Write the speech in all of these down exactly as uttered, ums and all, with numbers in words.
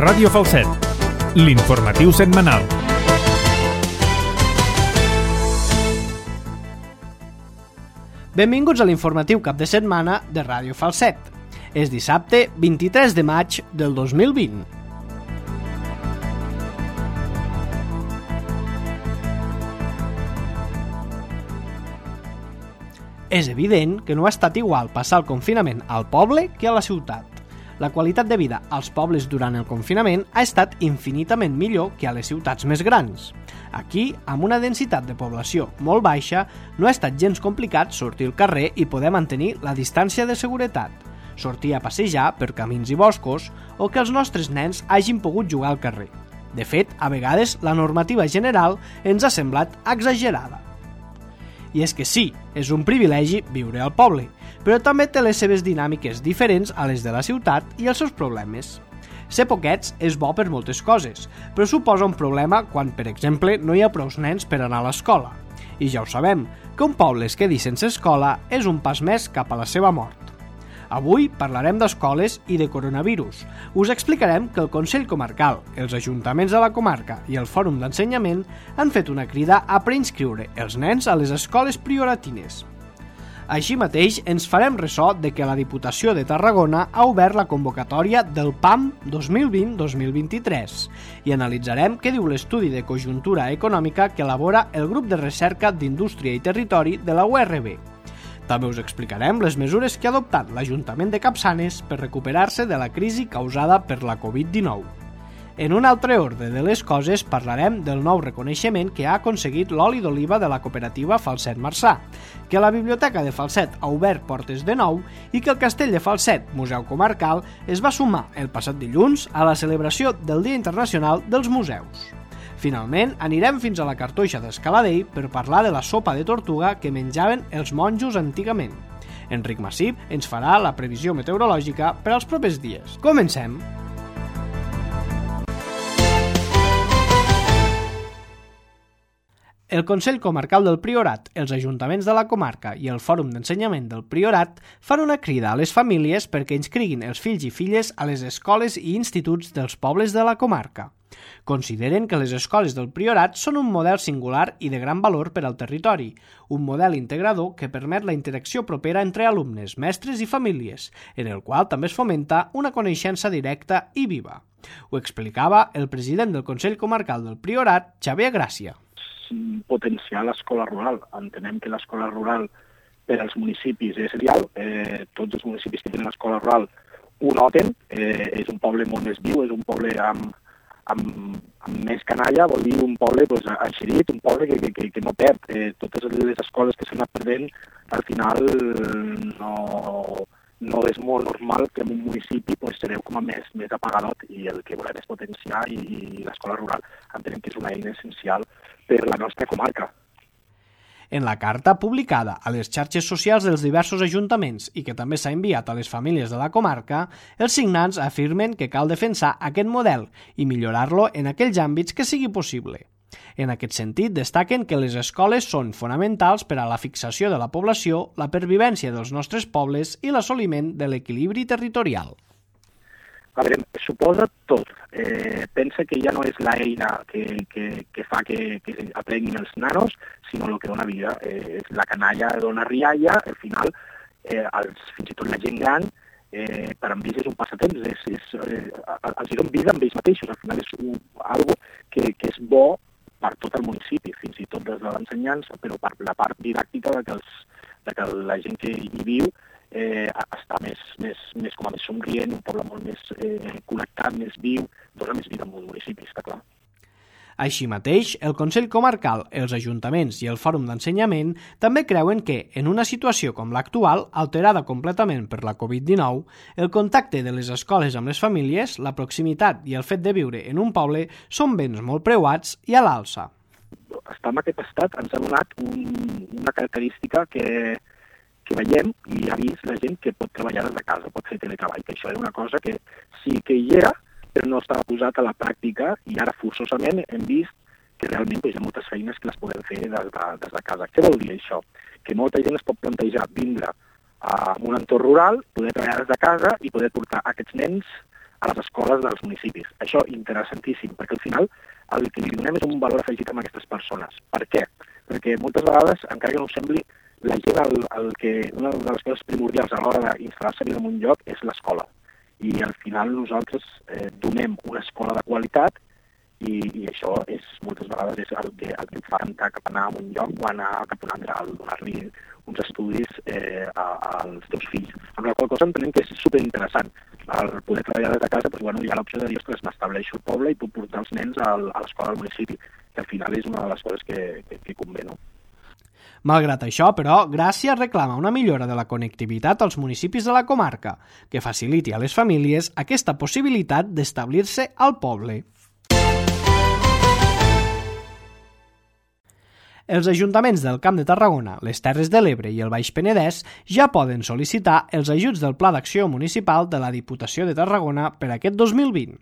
Ràdio Falset, l'informatiu setmanal. Benvinguts a l'informatiu cap de setmana de Ràdio Falset. És dissabte vint-i-tres de maig del dos mil vint. És evident que no ha estat igual passar el confinament al poble que a la ciutat. La qualitat de vida als pobles durant el confinament ha estat infinitament millor que a les ciutats més grans. Aquí, amb una densitat de població molt baixa, no ha estat gens complicat sortir al carrer i poder mantenir la distància de seguretat, sortir a passejar per camins i boscos o que els nostres nens hagin pogut jugar al carrer. De fet, a vegades la normativa general ens ha semblat exagerada. I és que sí, és un privilegi viure al poble, però també té les seves dinàmiques diferents a les de la ciutat i els seus problemes. Ser poquets és bo per moltes coses, però suposa un problema quan, per exemple, no hi ha prous nens per anar a l'escola. I ja ho sabem, que un poble es quedi sense escola és un pas més cap a la seva mort. Avui parlarem d'escoles i de coronavirus. Us explicarem que el Consell Comarcal, els ajuntaments de la comarca i el Fòrum d'Ensenyament han fet una crida a preinscriure els nens a les escoles prioratines. Així mateix, ens farem ressò de que la Diputació de Tarragona ha obert la convocatòria del P A M dos mil vint dos mil vint-i-tres i analitzarem què diu l'estudi de conjuntura econòmica que elabora el grup de recerca d'Indústria i Territori de la U R B. També us explicarem les mesures que ha adoptat l'Ajuntament de Capçanes per recuperar-se de la crisi causada per la covid dinou. En un altre ordre de les coses parlarem del nou reconeixement que ha aconseguit l'oli d'oliva de la cooperativa Falset Marçà, que la Biblioteca de Falset ha obert portes de nou i que el Castell de Falset, Museu Comarcal, es va sumar el passat dilluns a la celebració del Dia Internacional dels Museus. Finalment, anirem fins a la Cartoixa d'Escaladell per parlar de la sopa de tortuga que menjaven els monjos antigament. Enric Massip ens farà la previsió meteorològica per als propers dies. Comencem! El Consell Comarcal del Priorat, els ajuntaments de la comarca i el Fòrum d'Ensenyament del Priorat fan una crida a les famílies perquè inscriguin els fills i filles a les escoles i instituts dels pobles de la comarca. Consideren que les escoles del Priorat són un model singular i de gran valor per al territori, un model integrador que permet la interacció propera entre alumnes, mestres i famílies, en el qual també es fomenta una coneixença directa i viva. Ho explicava el president del Consell Comarcal del Priorat, Xavier Gràcia. Potenciar l'escola rural. Entenem que l'escola rural per als municipis és essencial. Eh, tots els municipis que tenen escola rural ho noten. Eh, és un poble molt més viu, és un poble amb, amb, amb més canalla, vol dir un poble pues, enxerit, un poble que, que, que no perd. Eh, totes les escoles que s'han anat perdent, al final no, no és molt normal que en un municipi pues, sereu com a més, més apagadot i el que volem és potenciar i, i l'escola rural entenem que és una eina essencial per la nostra comarca. En la carta publicada a les xarxes socials dels diversos ajuntaments i que també s'ha enviat a les famílies de la comarca, els signants afirmen que cal defensar aquest model i millorar-lo en aquells àmbits que sigui possible. En aquest sentit, destaquen que les escoles són fonamentals per a la fixació de la població, la pervivència dels nostres pobles i l'assoliment de l'equilibri territorial. A veure, suposa tot. Eh, pensa que ja no és l'eina que, que, que fa que, que aprenguin els nanos, sinó el que dona vida. Eh, és la canalla dona rialla, al final, eh, els, fins i tot la gent gran, eh, per amb ells és un passatemps, és, és, eh, els donen vida amb ells mateixos. Al final és un, algo que, que és bo per tot el municipi, fins i tot des de l'ensenyança, però per la part didàctica de que, els, de que la gent que hi viu eh, està més, més, més, com a més somrient, un poble molt més eh, connectat, més viu, dona més vida en un municipi, està clar. Així mateix, el Consell Comarcal, els ajuntaments i el Fòrum d'Ensenyament també creuen que, en una situació com l'actual, alterada completament per la covid dinou, el contacte de les escoles amb les famílies, la proximitat i el fet de viure en un poble són béns molt preuats i a l'alça. Estar en aquest estat ens ha donat un, una característica que, que veiem i ha vist la gent que pot treballar des de casa, pot fer teletreball, que això era una cosa que sí que hi era, però no estava posat a la pràctica i ara forçosament hem vist que realment doncs, hi ha moltes feines que les podem fer des de, des de casa. Què vol dir això? Que molta gent es pot plantejar vindre a un entorn rural, poder treballar des de casa i poder portar aquests nens a les escoles dels municipis. Això interessantíssim, perquè al final el que li donem és un valor afegit a aquestes persones. Per què? Perquè moltes vegades, encara que no ho sembli, la gent, el, el que, una de les coses primordials a l'hora d'instal·lar-se en un lloc és l'escola. I al final nosaltres eh, donem una escola de qualitat i, i això és, moltes vegades és el que, el que et fa cantar cap a anar a un lloc o anar cap a un altre, al donar-li uns estudis eh, a, als teus fills. Amb la qual cosa entenem que és superinteressant. Al poder treballar des de casa, doncs, bueno, hi ha l'opció de dir, ostres, m'estableixo al poble i puc portar els nens al, a l'escola del municipi, que al final és una de les coses que, que, que convé, no? Malgrat això, però, Gràcia reclama una millora de la connectivitat als municipis de la comarca, que faciliti a les famílies aquesta possibilitat d'establir-se al poble. Els ajuntaments del Camp de Tarragona, les Terres de l'Ebre i el Baix Penedès ja poden sol·licitar els ajuts del Pla d'Acció Municipal de la Diputació de Tarragona per aquest dos mil vint.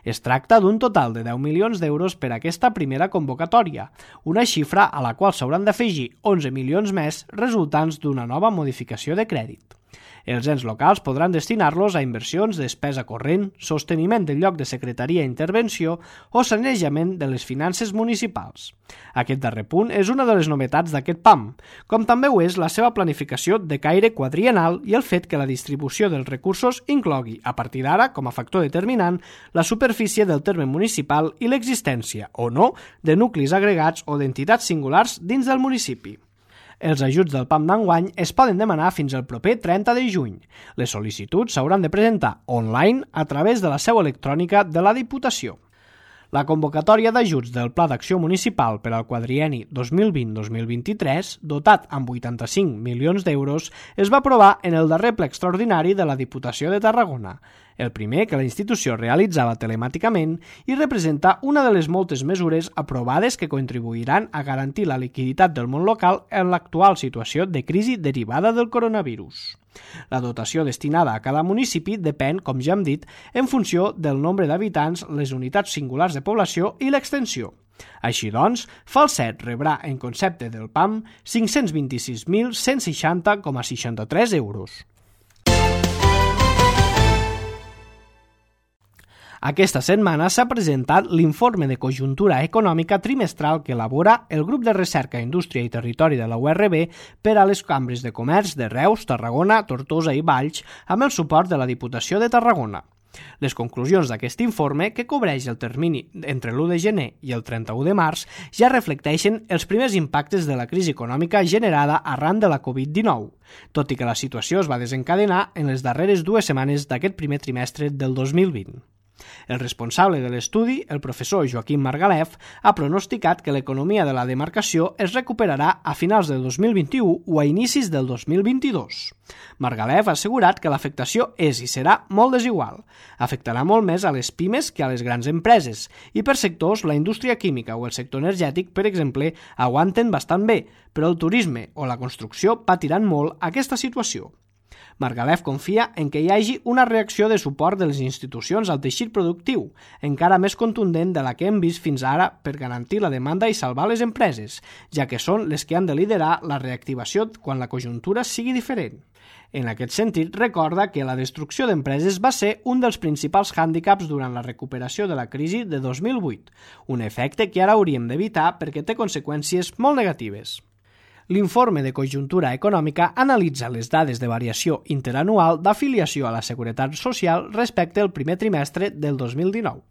Es tracta d'un total de deu milions d'euros per a aquesta primera convocatòria, una xifra a la qual s'hauran d'afegir onze milions més resultants d'una nova modificació de crèdit. Els ens locals podran destinar-los a inversions, despesa corrent, sosteniment del lloc de secretaria i intervenció o sanejament de les finances municipals. Aquest darrer punt és una de les novetats d'aquest P A M, com també ho és la seva planificació de caire quadriennal i el fet que la distribució dels recursos inclogui, a partir d'ara, com a factor determinant, la superfície del terme municipal i l'existència, o no, de nuclis agregats o d'entitats singulars dins del municipi. Els ajuts del P A M d'enguany es poden demanar fins al proper trenta de juny. Les sol·licituds s'hauran de presentar online a través de la seu electrònica de la Diputació. La convocatòria d'ajuts del Pla d'Acció Municipal per al quadrienni dos mil vint dos mil vint-i-tres, dotat amb vuitanta-cinc milions d'euros, es va aprovar en el darrer ple extraordinari de la Diputació de Tarragona, el primer que la institució realitzava telemàticament i representa una de les moltes mesures aprovades que contribuiran a garantir la liquiditat del món local en l'actual situació de crisi derivada del coronavirus. La dotació destinada a cada municipi depèn, com ja hem dit, en funció del nombre d'habitants, les unitats singulars de població i l'extensió. Així doncs, Falset rebrà en concepte del P A M cinc-cents vint-i-sis mil cent seixanta coma seixanta-tres euros. Aquesta setmana s'ha presentat l'informe de conjuntura econòmica trimestral que elabora el Grup de Recerca, Indústria i Territori de la U R B per a les cambres de comerç de Reus, Tarragona, Tortosa i Valls amb el suport de la Diputació de Tarragona. Les conclusions d'aquest informe, que cobreix el termini entre l'u de gener i el trenta-u de març, ja reflecteixen els primers impactes de la crisi econòmica generada arran de la covid dinou, tot i que la situació es va desencadenar en les darreres dues setmanes d'aquest primer trimestre del dos mil vint. El responsable de l'estudi, el professor Joaquim Margalef, ha pronosticat que l'economia de la demarcació es recuperarà a finals del dos mil vint-i-u o a inicis del dos mil vint-i-dos. Margalef ha assegurat que l'afectació és i serà molt desigual. Afectarà molt més a les pimes que a les grans empreses, i per sectors la indústria química o el sector energètic, per exemple, aguanten bastant bé, però el turisme o la construcció patiran molt aquesta situació. Margalef confia en que hi hagi una reacció de suport de les institucions al teixit productiu, encara més contundent de la que hem vist fins ara per garantir la demanda i salvar les empreses, ja que són les que han de liderar la reactivació quan la conjuntura sigui diferent. En aquest sentit, recorda que la destrucció d'empreses va ser un dels principals hàndicaps durant la recuperació de la crisi de dos mil vuit, un efecte que ara hauríem d'evitar perquè té conseqüències molt negatives. L'informe de conjuntura econòmica analitza les dades de variació interanual d'afiliació a la Seguretat Social respecte al primer trimestre del dos mil dinou.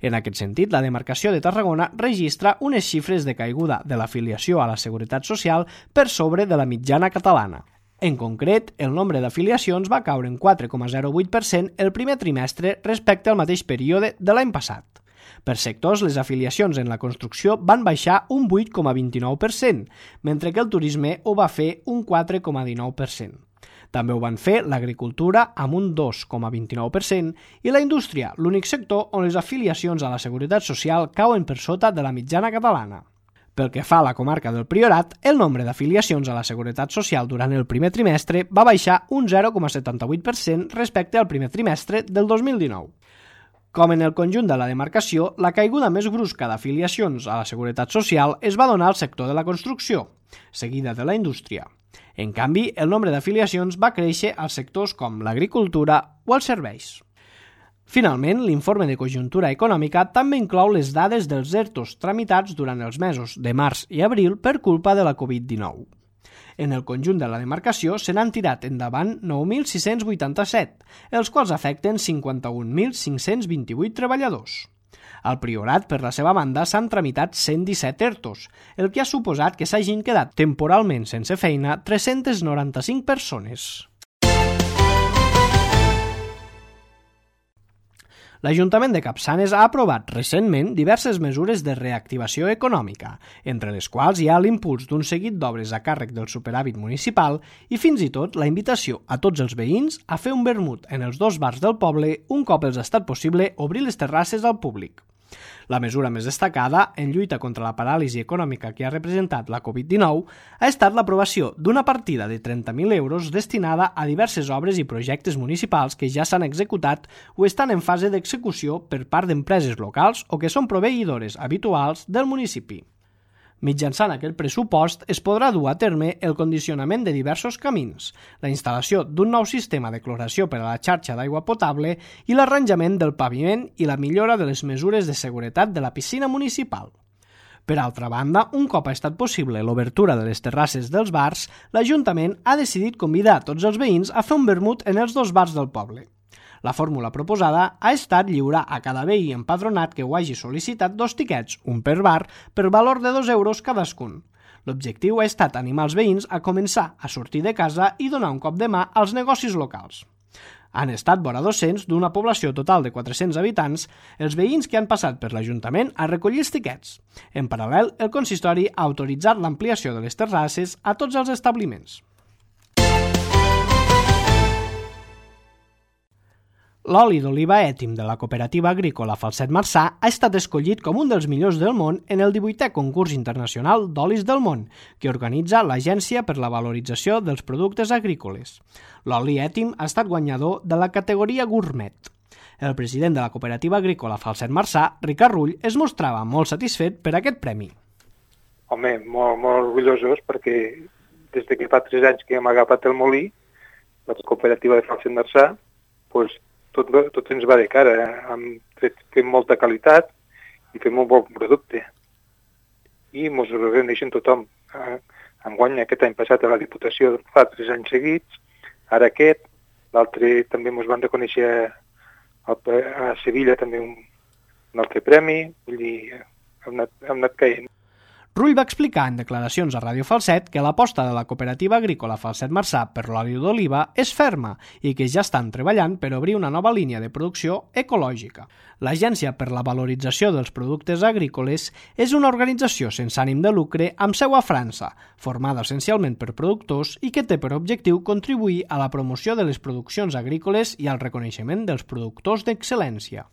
En aquest sentit, la demarcació de Tarragona registra unes xifres de caiguda de l'afiliació a la Seguretat Social per sobre de la mitjana catalana. En concret, el nombre d'afiliacions va caure en quatre coma zero vuit per cent el primer trimestre respecte al mateix període de l'any passat. Per sectors, les afiliacions en la construcció van baixar un vuit coma vint-i-nou per cent, mentre que el turisme ho va fer un quatre coma dinou per cent. També ho van fer l'agricultura amb un dos coma vint-i-nou per cent i la indústria, l'únic sector on les afiliacions a la Seguretat Social cauen per sota de la mitjana catalana. Pel que fa a la comarca del Priorat, el nombre d'afiliacions a la Seguretat Social durant el primer trimestre va baixar un zero coma setanta-vuit per cent respecte al primer trimestre del dos mil dinou. Com en el conjunt de la demarcació, la caiguda més brusca d'afiliacions a la Seguretat Social es va donar al sector de la construcció, seguida de la indústria. En canvi, el nombre d'afiliacions va créixer als sectors com l'agricultura o els serveis. Finalment, l'informe de conjuntura econòmica també inclou les dades dels ERTOs tramitats durant els mesos de març i abril per culpa de la covid dinou. En el conjunt de la demarcació se n'han tirat endavant nou mil sis-cents vuitanta-set, els quals afecten cinquanta-un mil cinc-cents vint-i-vuit treballadors. Al Priorat, per la seva banda, s'han tramitat cent disset ERTOs, el que ha suposat que s'hagin quedat temporalment sense feina tres-cents noranta-cinc persones. L'Ajuntament de Capçanes ha aprovat recentment diverses mesures de reactivació econòmica, entre les quals hi ha l'impuls d'un seguit d'obres a càrrec del superàvit municipal i fins i tot la invitació a tots els veïns a fer un vermut en els dos bars del poble un cop els ha estat possible obrir les terrasses al públic. La mesura més destacada, en lluita contra la paràlisi econòmica que ha representat la covid dinou, ha estat l'aprovació d'una partida de trenta mil euros destinada a diverses obres i projectes municipals que ja s'han executat o estan en fase d'execució per part d'empreses locals o que són proveïdores habituals del municipi. Mitjançant aquest pressupost es podrà dur a terme el condicionament de diversos camins, la instal·lació d'un nou sistema de cloració per a la xarxa d'aigua potable i l'arranjament del paviment i la millora de les mesures de seguretat de la piscina municipal. Per altra banda, un cop ha estat possible l'obertura de les terrasses dels bars, l'Ajuntament ha decidit convidar tots els veïns a fer un vermut en els dos bars del poble. La fórmula proposada ha estat lliurar a cada veí empadronat que ho hagi sol·licitat dos tiquets, un per bar, per valor de dos euros cadascun. L'objectiu ha estat animar els veïns a començar a sortir de casa i donar un cop de mà als negocis locals. Han estat vora dos-cents d'una població total de quatre-cents habitants, els veïns que han passat per l'Ajuntament a recollir els tiquets. En paral·lel, el consistori ha autoritzat l'ampliació de les terrasses a tots els establiments. L'oli d'oliva ètim de la cooperativa agrícola Falset Marçà ha estat escollit com un dels millors del món en el divuitè concurs internacional d'olis del món, que organitza l'Agència per la Valorització dels Productes Agrícoles. L'oli ètim ha estat guanyador de la categoria gourmet. El president de la cooperativa agrícola Falset Marçà, Ricard Rull, es mostrava molt satisfet per aquest premi. Home, molt, molt orgullosos perquè des de que fa tres anys que hem agafat el molí, la cooperativa de Falset Marçà, doncs, Tot, tot ens va de cara, hem fet, fem molta qualitat i fem un bon producte. I ens ho reconeixen tothom. Enguany, aquest any passat a la Diputació fa tres anys seguits, ara aquest, l'altre també ens van reconèixer a Sevilla també un, un altre premi, vull dir, hem anat, hem anat caient. Rull va explicar en declaracions a Ràdio Falset que l'aposta de la cooperativa agrícola Falset Marçà per l'oli d'oliva és ferma i que ja estan treballant per obrir una nova línia de producció ecològica. L'Agència per la Valorització dels Productes Agrícoles és una organització sense ànim de lucre amb seu a França, formada essencialment per productors i que té per objectiu contribuir a la promoció de les produccions agrícoles i al reconeixement dels productors d'excel·lència.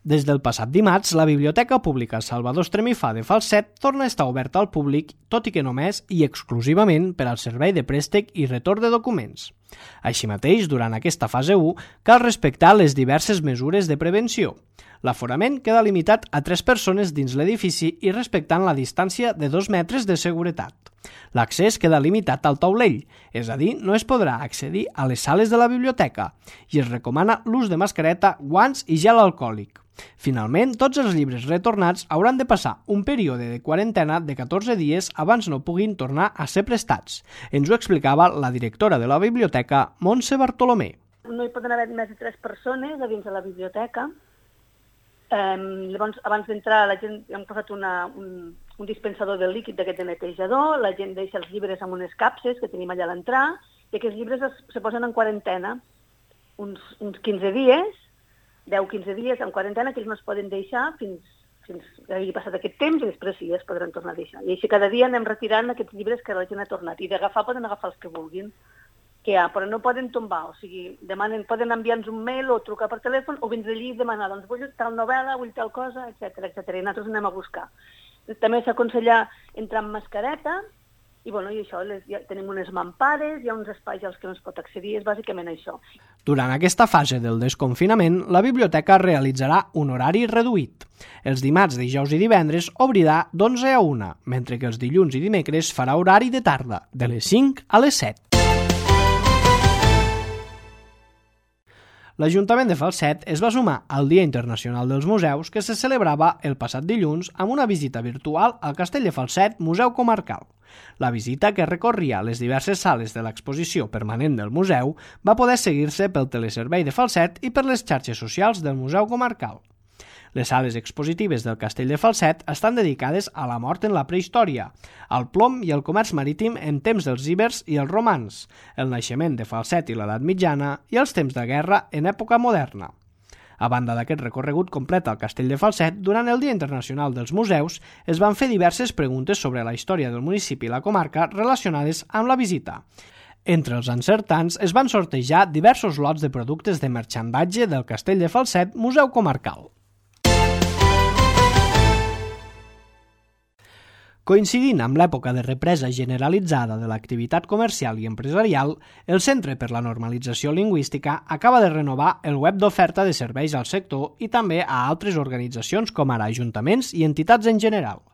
Des del passat dimarts, la Biblioteca Pública Salvador Estremifà de Falset torna a estar oberta al públic, tot i que només i exclusivament per al servei de préstec i retorn de documents. Així mateix, durant aquesta fase u, cal respectar les diverses mesures de prevenció. L'aforament queda limitat a tres persones dins l'edifici i respectant la distància de dos metres de seguretat. L'accés queda limitat al taulell, és a dir, no es podrà accedir a les sales de la biblioteca i es recomana l'ús de mascareta, guants i gel alcohòlic. Finalment, tots els llibres retornats hauran de passar un període de quarantena de catorze dies abans no puguin tornar a ser prestats. Ens ho explicava la directora de la biblioteca, Montse Bartolomé. No hi poden haver més de tres persones a dins de la biblioteca. Eh, llavors, abans d'entrar, la gent hem posat una, un, un dispensador de líquid d'aquest de netejador, la gent deixa els llibres amb unes capses que tenim allà a l'entrar, i aquests llibres es, se posen en quarantena uns, uns quinze dies, deu a quinze dies en quarantena, que ells no es poden deixar fins, fins que hagi passat aquest temps i després sí, es podran tornar a deixar. I així cada dia anem retirant aquests llibres que la gent ha tornat. I d'agafar poden agafar els que vulguin, que hi ha, però no poden tombar. O sigui, demanen, poden enviar-nos un mail o trucar per telèfon o vindre allí i demanar, doncs vull tal novel·la, vull tal cosa, etcètera, etcètera. I nosaltres anem a buscar. També s'aconsella entrar amb mascareta, i, bueno, i això, les, ja tenim unes mampares, hi ha uns espais als que no es pot accedir, és bàsicament això. Durant aquesta fase del desconfinament, la biblioteca realitzarà un horari reduït. Els dimarts, dijous i divendres obrirà d'onze a una, mentre que els dilluns i dimecres farà horari de tarda, de les cinc a les set. l'Ajuntament de Falset es va sumar al Dia Internacional dels Museus que se celebrava el passat dilluns amb una visita virtual al Castell de Falset Museu Comarcal. La visita, que recorria les diverses sales de l'exposició permanent del museu, va poder seguir-se pel teleservei de Falset i per les xarxes socials del Museu Comarcal. Les sales expositives del Castell de Falset estan dedicades a la mort en la prehistòria, al plom i al comerç marítim en temps dels ibers i els romans, el naixement de Falset i l'edat mitjana i els temps de guerra en època moderna. A banda d'aquest recorregut complet al Castell de Falset, durant el Dia Internacional dels Museus es van fer diverses preguntes sobre la història del municipi i la comarca relacionades amb la visita. Entre els encertants es van sortejar diversos lots de productes de marxandatge del Castell de Falset Museu Comarcal. Coincidint amb l'època de represa generalitzada de l'activitat comercial i empresarial, el Centre per la Normalització Lingüística acaba de renovar el web d'oferta de serveis al sector i també a altres organitzacions com ara ajuntaments i entitats en general.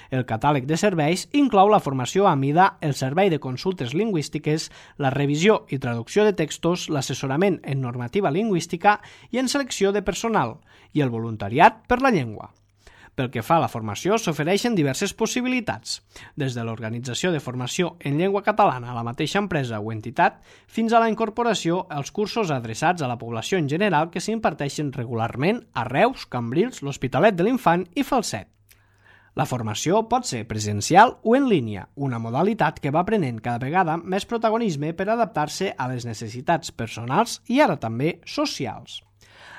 El catàleg de serveis inclou la formació a mida, el servei de consultes lingüístiques, la revisió i traducció de textos, l'assessorament en normativa lingüística i en selecció de personal, i el voluntariat per la llengua. Pel que fa a la formació, s'ofereixen diverses possibilitats, des de l'organització de formació en llengua catalana a la mateixa empresa o entitat, fins a la incorporació als cursos adreçats a la població en general que s'imparteixen regularment a Reus, Cambrils, l'Hospitalet de l'Infant i Falset. La formació pot ser presencial o en línia, una modalitat que va prenent cada vegada més protagonisme per adaptar-se a les necessitats personals i ara també socials.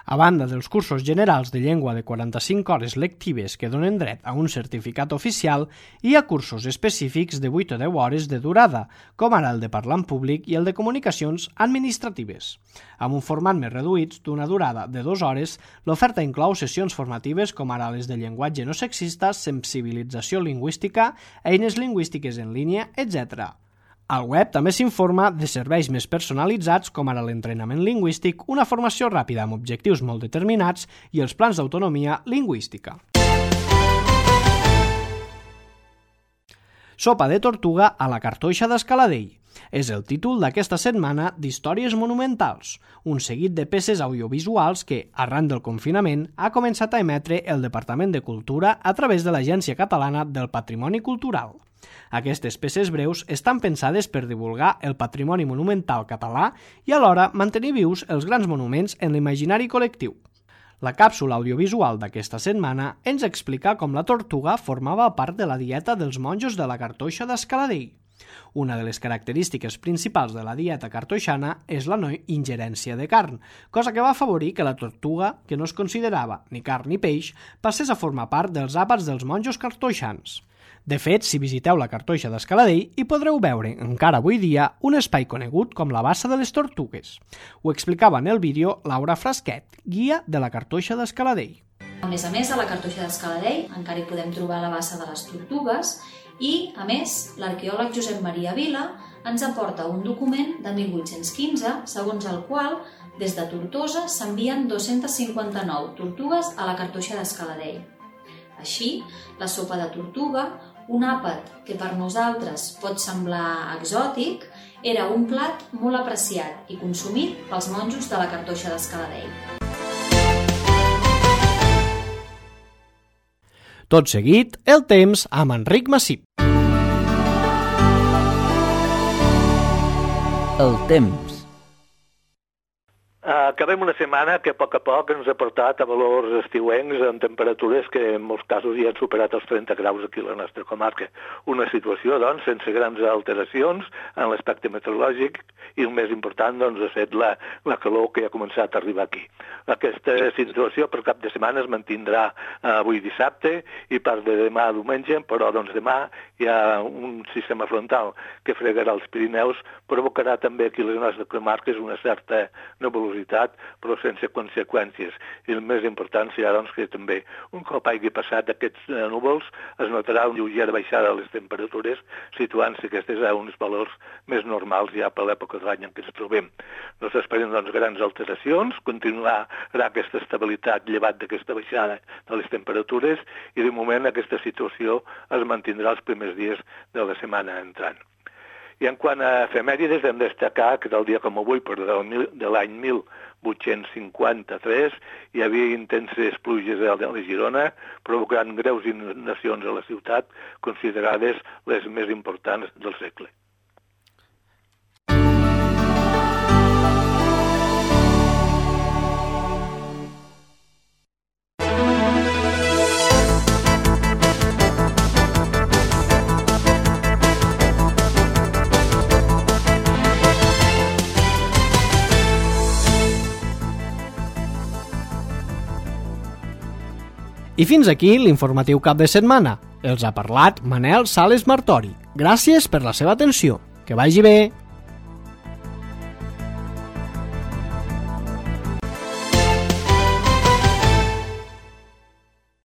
A banda dels cursos generals de llengua de quaranta-cinc hores lectives que donen dret a un certificat oficial, hi ha cursos específics de vuit o deu hores de durada, com ara el de parlar en públic i el de comunicacions administratives. Amb un format més reduït, d'una durada de dues hores, l'oferta inclou sessions formatives com ara les de llenguatge no sexista, sensibilització lingüística, eines lingüístiques en línia, etcètera. Al web també s'informa de serveis més personalitzats com ara l'entrenament lingüístic, una formació ràpida amb objectius molt determinats i els plans d'autonomia lingüística. Sopa de tortuga a la cartoixa d'Escaladell. És el títol d'aquesta setmana d'Històries Monumentals, un seguit de peces audiovisuals que, arran del confinament, ha començat a emetre el Departament de Cultura a través de l'Agència Catalana del Patrimoni Cultural. Aquestes peces breus estan pensades per divulgar el patrimoni monumental català i alhora mantenir vius els grans monuments en l'imaginari col·lectiu. La càpsula audiovisual d'aquesta setmana ens explica com la tortuga formava part de la dieta dels monjos de la cartoixa d'Escaladell. Una de les característiques principals de la dieta cartoixana és la no ingerència de carn, cosa que va afavorir que la tortuga, que no es considerava ni carn ni peix, passés a formar part dels àpats dels monjos cartoixans. De fet, si visiteu la cartoixa d'Escaladell, hi podreu veure, encara avui dia, un espai conegut com la Bassa de les Tortugues. Ho explicava en el vídeo Laura Frasquet, guia de la cartoixa d'Escaladell. A més a més, a la cartoixa d'Escaladell encara hi podem trobar la Bassa de les Tortugues i, a més, l'arqueòleg Josep Maria Vila ens aporta un document de mil vuit-cents quinze, segons el qual, des de Tortosa, s'envien dos-centes cinquanta-nou tortugues a la cartoixa d'Escaladell. Així, la sopa de tortuga, un àpat que per nosaltres pot semblar exòtic, era un plat molt apreciat i consumit pels monjos de la cartoixa d'Escaladell. Tot seguit, el temps amb Enric Massip. El temps. Acabem una setmana que a poc a poc ens ha portat a valors estiuencs amb temperatures que en molts casos ja han superat els trenta graus aquí a la nostra comarca. Una situació, doncs, sense grans alteracions en l'aspecte meteorològic i el més important, doncs, ha estat la, la calor que ha començat a arribar aquí. Aquesta situació per cap de setmana es mantindrà avui dissabte i part de demà diumenge, però doncs demà hi ha un sistema frontal que fregarà els Pirineus, provocarà també aquí a les nostres comarques una certa nebulositat, però sense conseqüències. I el més important serà doncs, que també un cop hagi passat aquests núvols es notarà una lleugera baixada de les temperatures, situant-se aquestes a uns valors més normals ja per l'època de l'any en què ens trobem. No s'esperen doncs, grans alteracions, continuarà aquesta estabilitat llevat d'aquesta baixada de les temperatures i de moment aquesta situació es mantindrà els primers dies de la setmana entrant. I en quant a efemèrides, hem de destacar que del dia com avui, però de l'any mil vuit-cents cinquanta-tres hi havia intenses pluges a la Girona, provocant greus inundacions a la ciutat, considerades les més importants del segle. I fins aquí l'informatiu cap de setmana. Els ha parlat Manel Sales Martori. Gràcies per la seva atenció. Que vagi bé!